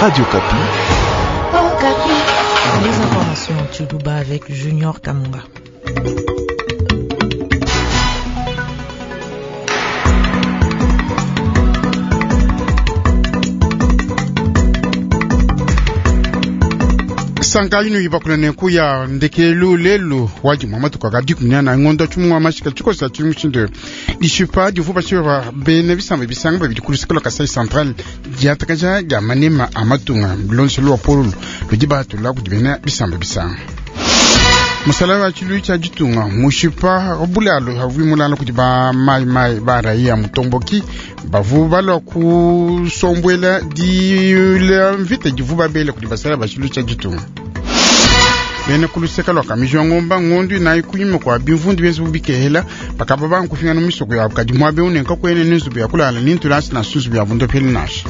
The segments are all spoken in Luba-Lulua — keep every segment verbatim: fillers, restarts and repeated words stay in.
Radio Okapi. Les informations en Tshiluba avec Junior Kamunga. Sanka ino ibakula nenku ya ndekelu lelu waji mwa matuku aka dikumi ne anayi ngondo tshimungu wa mashika tshikosa tshili mushindu dishipa divu bashipa bena bisamba bisanga babidi ku luseke lua Kasai Central diatakaja dia manema a matunga bilondeshelu wa polulu ludi batula kudi bena bisamba bisanga. Musala wa tshilu tshia ditunga mushipa bulalo havui mulala kudi ba mai mai ba raia mutomboki bavu balua kusombuela dila mvita divu babele kudi basala ba tshilu tshia ditunga. Bena kuluseka lua kamijwa ngomba ngondu inayi kunyima kua bimvundu bienze bubikehela bakaba bankufingana misoko yabu kadi muabe unenka kuene ne nzubu ya kulala ni ntulasi na nzubu ya bundopeli nasha.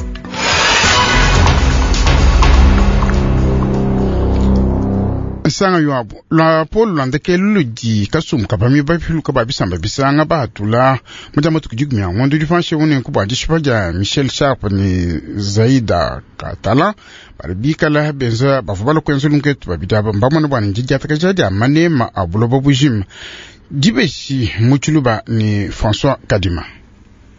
Nsanga yuabu lwa polo lwa ndekelu ludi kasumbu kapami bapiluka ba bisamba bisanga bahatula mudia matuku dikumi a ngondo dipanshe unenku bua dishipa dia Michel Sharp ne Zaida Catalan bali bikala benza bavua balua kuenza lunketu babidi aba mbamona bua ne didiatakaja dia manema a buloba bujima dibeshi mu Tshiluba ne François Kadima.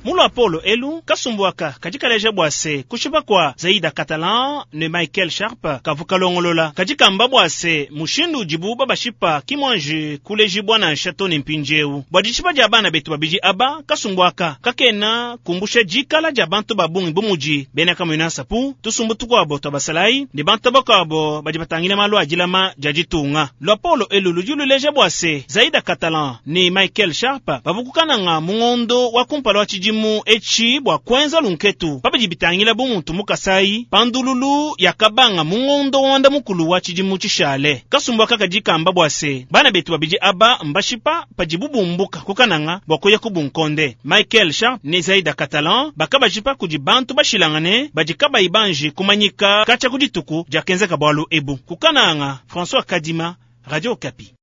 Mulo Apollo elu kasumbuaka kadikaleja bwase kushipa kwa Zaida Catalan ne Michael Sharp kavukalongolola kadikamba bwase mushindu udibu babashipa kimwanji kulejibwa na nshato ne mpindieu bua dishipa dia bana betu babidi aba kasumbuaka kakena kumbusha dikala dia bantu babungi bumudi bena Kamuina Nsapu tusumbu tukuabo tua basalayi ne bantu bakuabo badi batangila malu a dilama dia ditunga. Lo Apollo elu ludi luleja bwase Zaida Catalan ne Michael Sharp bavukukananga mungondo wa kumpala wa tshidimu mu echi bwa kwenza lunketu pabidi bitangila bumuntu mukasai pandululu yakabanga mungondo wanda mukulu wa tshidimu tshishale kasumbu kakadikamba bwase bana betu babidi aba mbashipa padibubumbuka kukananga bwa kuya kubunkonde Michael Sharp ne Zaida Catalan bakabashipa kudi bantu bashilangane badi kabayi banji kumanyika kacha kudituku diakenzeka bwalu ebu kukananga. François Kadima, Radio Okapi.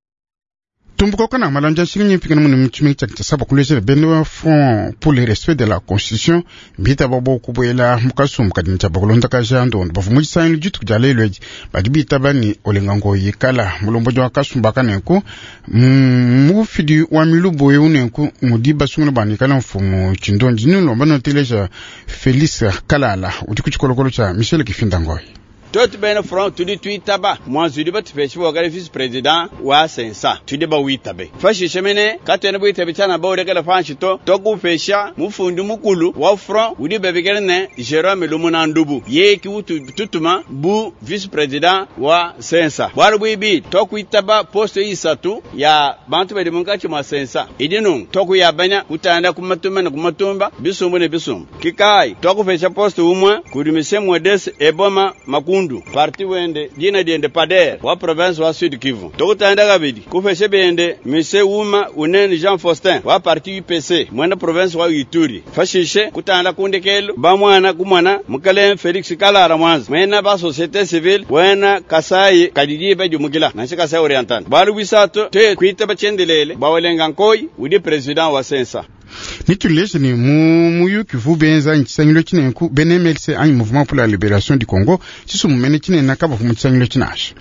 Tumbuka kana malanja nshingi mpikana mune mutshimi tshia tshisaba kulejela bene wa Front pour le respect de la Constitution mbita babo kubuela mukasumbu kadi ntshia bakulonda kaja ndondo bavu mu tshisangilu dituku dia lelu edi badi bitaba ni olenga ngoyi kala mulomboji wa kasumbu aka nenku mufidi wa milubu eu nenku mudi basungula bani kala mfumu tshindondi nilomba noteleja Félix Kalala udi ku tshikolokolo tshia Michel Kifinda Ngoyi. Twetu bena front tudi tuitaba mwanzudi batupeshe wakali vice president wa sensa tudi bawitabe fashishe mene katwene bwitabe tsana bawulekela panshi to tokupesha mufundi mukulu wa front udi bebekele ne Jerome Lumuna Ndubu yeki utu tutuma bu vice president wa sensa bwalu bwibi tokuitaba poste isatu ya bantu badi munkatshi mwa sensa idinu tokuyabanya kutanda kumatumba ne kumatumba bisumbu ne bisumbu kikai tokupesha poste umwe kudi mise Modeste Eboma Makundu parti wende dina diende pader wa province wa Sud Kivu tokutanda kabidi kufeshe bende mise Uma Unene Jean Faustin wa parti U P C mwena province wa Ituri fashishe kutanda kundekelo bamwana kumwana mukale Felix Kalara Mwanza mwena ba société civile wena Kasai kadidi bajumukila nansha Kasai Oriental balu bisato te kuita bachendelele bawelenga nkoi udi president wa sensa. Nituleje ni mu muyuki vu benza ntshisangilo tshinenku bene M L C anyi Mouvement pour la Libération du Congo tshisumumene tshinene kabavu mu tshisangilo tshinasha.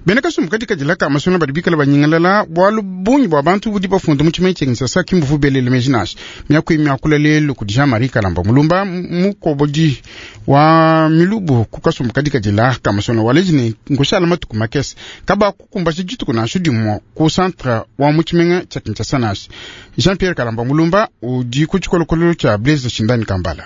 Bena kasumbu katika dilaka masonga badi bikala banyingalala bwalu bungi bwa bantu budi bafunda mu tshimenyi tsha Kinshasa kimbuvu belele meji nasha. Miaku miakula lelu kudi Jean-Marie Kalamba Mulumba mukobodi wa milubu ku kasumbu katika dilaka masonga waleji ni ngoshala matuku makese kaba kukumba dituku nashu dimue ku centre wa mu tshimenyi tsha Kinshasa nasha. Jean-Pierre Kalamba Mulumba udi ku tshikolokolo tsha Blaise Shindani Kambala.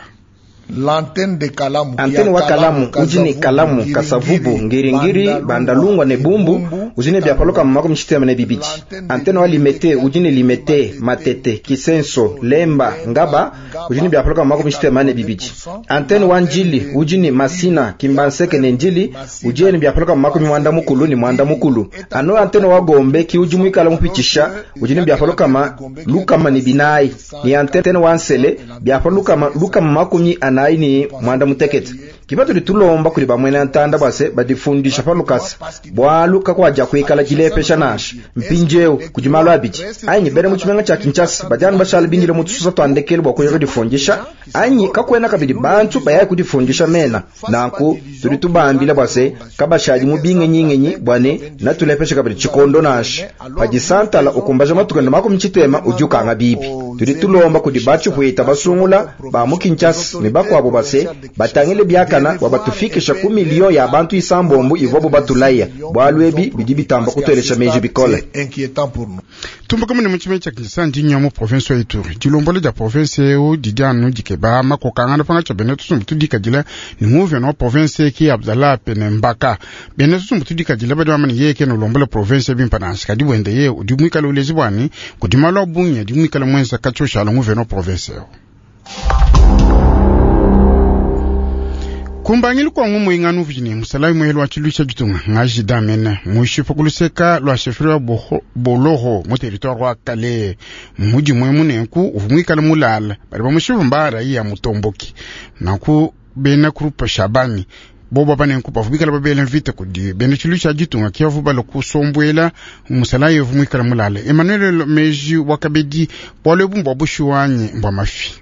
L'antenne de Kalamu, antenne wa Kalamu ujini Kalamu Kasavubu Ngiringiri Bandalungwa ne Bumbu ujini byapaloka makumi tshitema ne bibidi. Antenne wa Limete ujini Limete Matete Kisenso Lemba Ngaba ujini byapaloka makumi tshitema ne bibidi. Antenne wa Njili ujini Masina Kimbanseke ne Njili ujini byapaloka makumi mwanda mukulu ni mwanda mukulu. Ano antenne wa Gombe ki uji mwikala mupitisha ujini byapaloka ma lukama ni binai ni antenne wa Nsele byapaloka lukama makumi ana ni mwanda mutekete. Kibato litulomba kuli bamwena ntanda bwase badifundisha palukasa bwalu kakwaja Kakuikala dilepesha nansha. Mpindieu kudi malu abidi anyi bena mu tshimenga tshia Kinshasa badi anu bashala bindile mu tususa twa ndekelu bua kuya kudifundisha anyi kakuena kabidi bantu baya kudifundisha mena. Nanku tudi tubambila bua se kabashadi mu bingenyingenyi bua ne natulepesha kabidi tshikondo nansha. Padi santala ukumbaja matuku ende makumi tshitema udi ukanga bibi. Tudi tulomba kudi batshipuita basungula ba mu Kinshasa ne bakuabo base batangile biakana bua batufikisha ku miliyo ya bantu isambombo ivuabu batulaya. Bualu ebi bidi bitamba kutuelesha meji bikole. Inquiétant pour nous. Tumbuka mune mu tshimenga tshia Kinshasa ndi nya mu province wa Ituri. Dilombola dia province eu didi anu dikeba makokangana pangatshi bena tusumbu tudikadila ni nguvena wa province ki Abdallah Pene Mbaka. Bena tusumbu tudikadila badi bamane yeye ke nolombola province bimpa nansha kadi bwende yeye udi muikale ulezi bwani kudi malu a bungi adi muikale mwenza katshoshala nguvena wa province eu. Kumbangilu kwa ngumu inganu vijini musalawi mwelu wa chilu cha jitunga ngaji damene muishipo kuluseka lwa shefri wa boloho mu territoire wa Kale muji mwe munenku uvumwikala mulala bali bamushivu mbara iya mutomboki naku bena kurupa Shabani bobo banenku bavumikala babele mvita kudi bena chilu cha jitunga kiavu bala kusombwela musalawi uvumwikala mulala. Emmanuel Meji wakabedi bwale bumbwa bushiwanye mbwa mafi.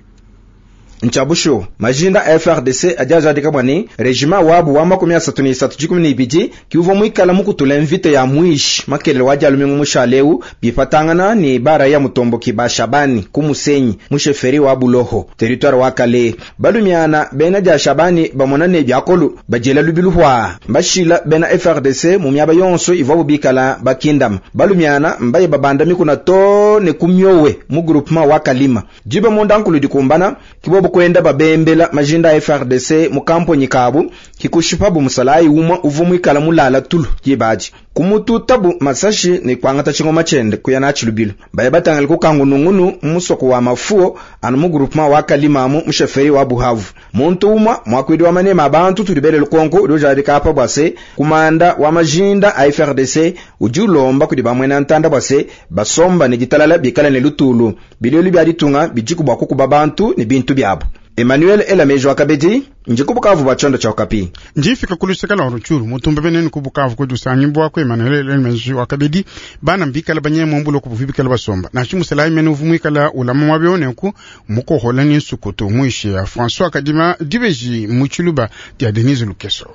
Nchabusho majinda a F R D C adiajadika bwani regima wabu wa makumi asatu ni isatu jikumi ni ibidi kiuvo mwikala mukutula mvita ya mwishi makelele wa alumingu mushaleu bipatangana ni bara ya mutomboki ba Shabani kumusenyi musheferi wa Buloho territoire wa Kale. Balumiana bena dia Shabani bamona ne byakolu bajela lubiluhwa bashila bena F R D C mu myaba yonso ivabu bikala bakindam. Balumiana mbaye babanda mikuna to ne kumyowe mu groupement wa Kalima jiba mondankulu dikumbana kibobo kwenda babembela majinda a F R D C mu kamponyi kabu kikushipabu musalayi umwa uvu mwikala mulala tulu jibaji kumututabu masashi ni kwangata chingoma chende kuya na chilubilo baye batangala kukangunungunu musoko wa mafuo anu mu groupement wa Kalima mu musheferi wa Buhavu. Muntu umwa mwakwidi wa manema abantu tulibele lukonko ulojadika apa bwase kumanda wa majinda a F R D C ujulomba kudi bamwena ntanda bwase basomba ni ditalala bikala ne lutulu bilelu bya ditunga bijiku bwa kukuba bantu ni bintu byabo. Emmanuel Elamejo akabedi njikubukavu bachondo cha Okapi. Njifika kuluseka la Rutshuru mutumba benene kubukavu kudusanyi bwa ku Emmanuel Elamejo akabedi bana mbikala banyemo mbulo kubuvibikala basomba na chimusela imene uvumwikala ulama mwabyone ku mukohola ni nsukutu mwishe ya François Kadima dibeji muchiluba dia Denise Lukeso.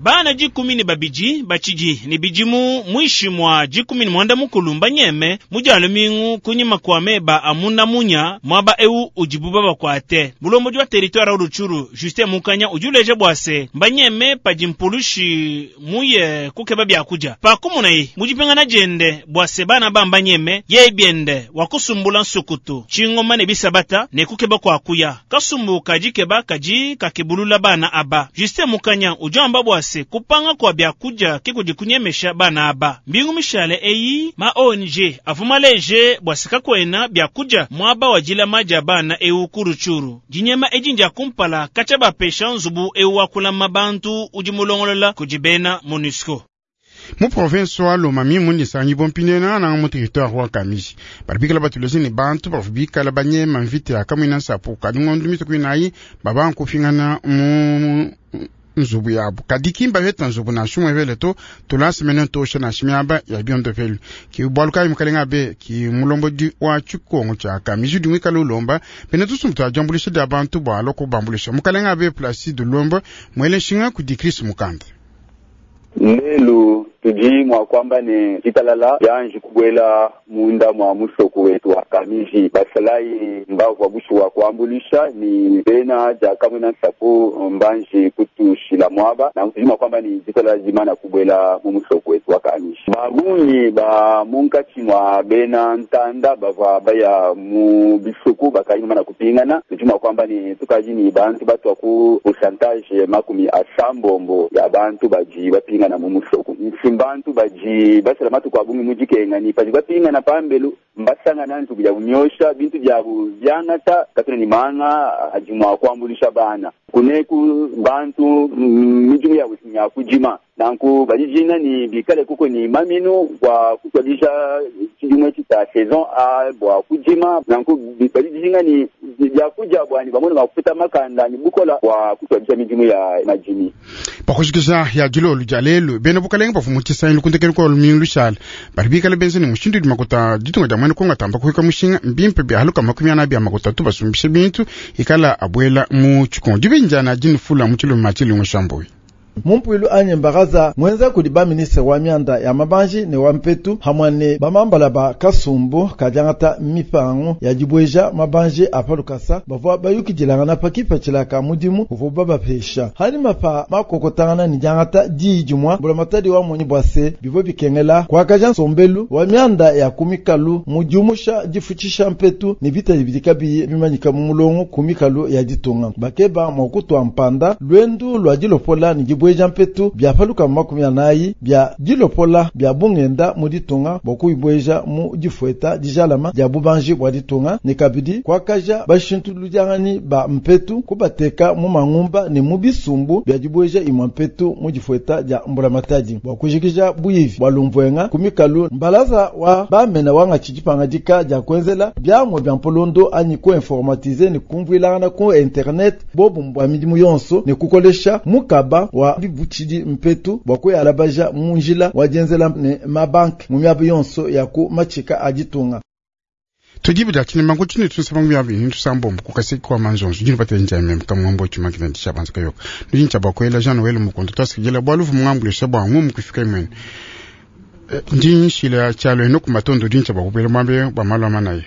Bana jikumi ni babiji bachiji ni bijimu mwishi mwa jikumi ni mwanda mukulu mbanyeme mujalo mingu kunyima kwa meba amuna munya mwaba eu ujibuba bakwate bulombo jwa territoire Rutshuru Justin Mukanya ujuleje bwase mbanyeme pajimpulushi muye kukeba byakuja pakumunai mujipengana jende bwase bana bambanyeme yebiende wakusumbula nsukutu chingoma ne bisabata ne kukeba kwa kuya kasumbuka jikeba kaji kakebulula bana aba Justin Mukanya ujamba bwase kupanga kwa byakuja kikujikunyemesha bana aba mbingu mishale eyi ma O N G avumaleje bwasika kwena byakuja mwaba wajila maja bana eu kuruchuru jinyema ejinja kumpala kacha bapesha nzubu eu wakula mabantu ujimulongolola kujibena MONUSCO. Mu province wa Lomami mundi sanyi bompine na na mu territoire wa Kamishi baribikala batulezi ni bantu bavubikala banyema mvite akamwina nsapu kadingondu mitukwinayi babankufingana mu nzubu yabo kadikimba beta nzubu na shumwe vele to tulasi mene tosha na shimiaba ya biondo velu ki bwaluka mukalenga be ki mulombo di wa chikongo cha Kamishi dimwikala ulomba pene tusumtu ajambulisha da bantu bwa loko bambulisha mukalenga be Placide Lombo mwele shinga ku di Chris Mukanda. Lelu tudi mwa kwamba ni ditalala yanji kubwela munda mwa musoko wetu wa Kamiji basalai mbavu wa wa kuambulisha ni bena ja kamwe na nsapu mbanji kutushila mwaba na tudi mwa kwamba ni ditalala jimana kubwela mu musoko wetu wa Kamiji babungi ba munkachi mwa bena ntanda bava baya mu bisuku bakayima na kupingana tudi mwa kwamba ni tukaji ni bantu batwa ku pourcentage makumi asambombo ya bantu baji bapingana mu musoko mbantu baji basala matuku abungi mujikenga ni paji bapinga na pambelu mbasanga nantu kuja kunyosha bintu byabu byangata katuna ni manga ajimwa kuambulisha bana kuneku bantu mijumu ya ya kujima nanku bajijina ni bikale kuko ni maminu kwa kutwalisha chijumwe chita saison a bwa kujima nanku bajijinga ni biakudia bwani bamone mafuta makanda ni bukola bwa kutuadisha midimu ya madimi. Pakushikisha ya dilolo dia lelu bena bukalenga bavua mu tshisangilu kundekelu kua lumingu lushala badi bikale benza ne mushindu udi makuta ditunga dia mwene Kongo atamba kuhika mushinga mbimpe bia haluka makumi ana bia makuta tu basumbishe bintu ikala abuela mu tshikongo dibinjana dinufula mu tshiluma tshilungu shambuyi. Mumpuilu anye mbaraza mwenza kudi ba ministre wa mianda ya mabanji ne wa mpetu hamwe ne bamambala ba kasumbu kadiangata mipango ya dibweja mabanji apa lukasa bavua bayukidilangana pa kipatshila ka mudimu uvua babapesha halima pa makokotangana ne diangata diyi dimua mbulamatadi wa monyi bua se bivua bikengela kuakaja nsombelu wa mianda ya kumikalu mu diumusha difutshisha mpetu ne bitadi bidi kabiyi bimanyika mu mulongo ku mikalu ya ditunga bakeba mua kutua mpanda lwendu lua dilopola ne dibweja mpetu bia paluka makumi anayi bia dilopola bia bungenda mu ditunga bua kuibweja mu difueta dijalama dia bubanji bua ditunga ne kabidi kuakaja bashintuludianganyi ba mpetu kubateka mu mangumba ne mu bisumbu bia dibweja imua mpetu mu difueta dia mbulamatadi bua kujikija buyivi bua lumvuenga ku mikalu mbalaza wa bamena wanga tshidipanga dia kuenzela biamwe bia mpolondo anyi kuinformatize ne kumvuilangana ku internet bobu bua midimu yonso ne kukolesha mukaba wa bibutshidi mpetu bua kuyalabaja mu njila wa dienzela ne mabanki mu miaba yonso ya ku matshika a ditunga. Tujibu da chine mangu chine tunsaba ngu yabi hintu sambombo kukasiki kwa manzonzo jini pate nja mem kamwambo chuma kina ndisha banza kayoka nujini chabakwela Jean Noel Mukondo twasikijela bwaluvu mwambule shabwa ngumu kufika imweni ndi nshila chalo eno kumatondo ndi chabakupela mwambe bwa malwa manaye.